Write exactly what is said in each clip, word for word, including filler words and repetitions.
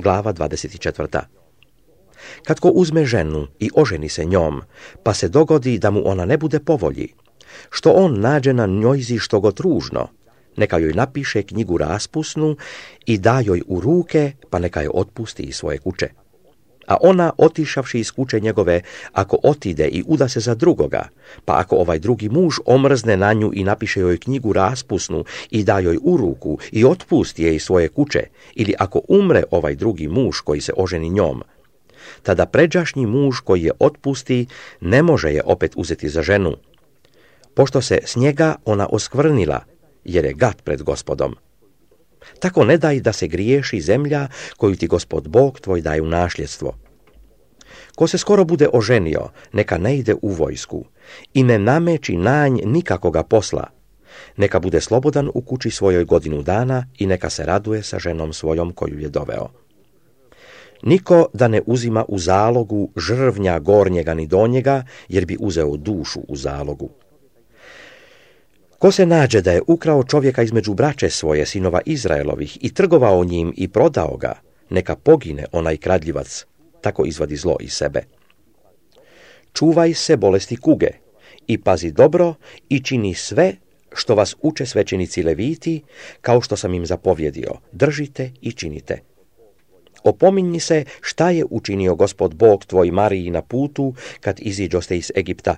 glava dvadeset četvrta. Kad ko uzme ženu i oženi se njom, pa se dogodi da mu ona ne bude po volji, što on nađe na njojzi što god ružno, neka joj napiše knjigu raspusnu i da joj u ruke, pa neka je otpusti iz svoje kuće. A ona, otišavši iz kuće njegove, ako otide i uda se za drugoga, pa ako ovaj drugi muž omrzne na nju i napiše joj knjigu raspusnu i da joj u ruku i otpusti je iz svoje kuće, ili ako umre ovaj drugi muž koji se oženi njom, tada pređašnji muž koji je otpusti ne može je opet uzeti za ženu, pošto se s njega ona oskvrnila, jer je gad pred Gospodom. Tako ne daj da se griješi zemlja koju ti Gospod Bog tvoj daje u nasljedstvo. Ko se skoro bude oženio, neka ne ide u vojsku i ne nameći nanj nikakoga posla. Neka bude slobodan u kući svojoj godinu dana i neka se raduje sa ženom svojom koju je doveo. Niko da ne uzima u zalogu žrvnja gornjega ni donjega, jer bi uzeo dušu u zalogu. Ko se nađe da je ukrao čovjeka između braće svoje, sinova Izraelovih, i trgovao njim i prodao ga, neka pogine onaj kradljivac, tako izvadi zlo iz sebe. Čuvaj se bolesti kuge i pazi dobro i čini sve što vas uče svećenici Leviti, kao što sam im zapovjedio, držite i činite. Opominji se šta je učinio Gospod Bog tvoj Mariji na putu kad iziđoste iz Egipta.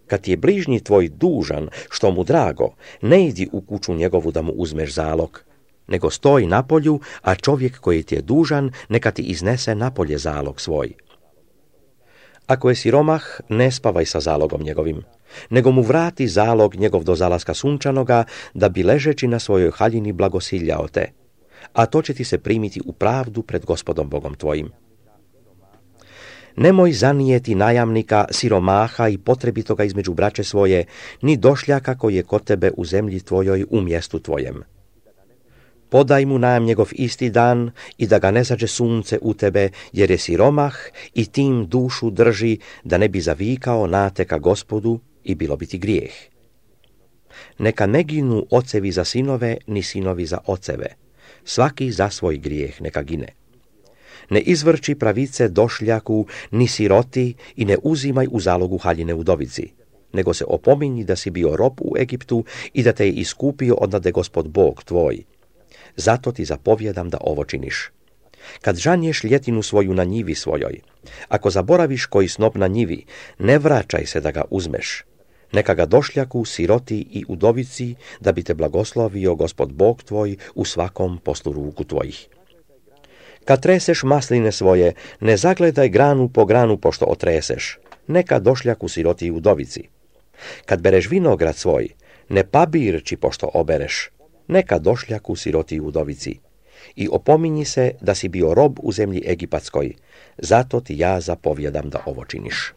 Kad je bližnji tvoj dužan, što mu drago, ne idi u kuću njegovu da mu uzmeš zalog, nego stoj napolju, a čovjek koji ti je dužan, neka ti iznese napolje zalog svoj. Ako je siromah, ne spavaj sa zalogom njegovim, nego mu vrati zalog njegov do zalaska sunčanoga, da bi ležeći na svojoj haljini blagosiljao te, a to će ti se primiti u pravdu pred Gospodom Bogom tvojim. Nemoj zanijeti najamnika, siromaha i potrebitoga između braće svoje, ni došljaka koji je kod tebe u zemlji tvojoj u mjestu tvojem. Podaj mu najam njegov isti dan i da ga ne zađe sunce u tebe, jer je siromah i tim dušu drži, da ne bi zavikao nate ka Gospodu i bilo bi ti grijeh. Neka ne ginu ocevi za sinove, ni sinovi za oceve, svaki za svoj grijeh neka gine. Ne izvrči pravice došljaku, ni siroti i ne uzimaj u zalogu haljine udovici, nego se opominji da si bio rob u Egiptu i da te je iskupio odnade Gospod Bog tvoj. Zato ti zapovjedam da ovo činiš. Kad žanješ ljetinu svoju na njivi svojoj, ako zaboraviš koji snop na njivi, ne vraćaj se da ga uzmeš. Neka ga došljaku, siroti i udovici, da bi te blagoslovio Gospod Bog tvoj u svakom poslu ruku tvojih. Kad treseš masline svoje, ne zagledaj granu po granu pošto otreseš, neka došljaku, siroti i udovici. Kad bereš vinograd svoj, ne pabirči pošto obereš, neka došljaku, siroti i udovici. I opominji se da si bio rob u zemlji egipatskoj, zato ti ja zapovjedam da ovo činiš.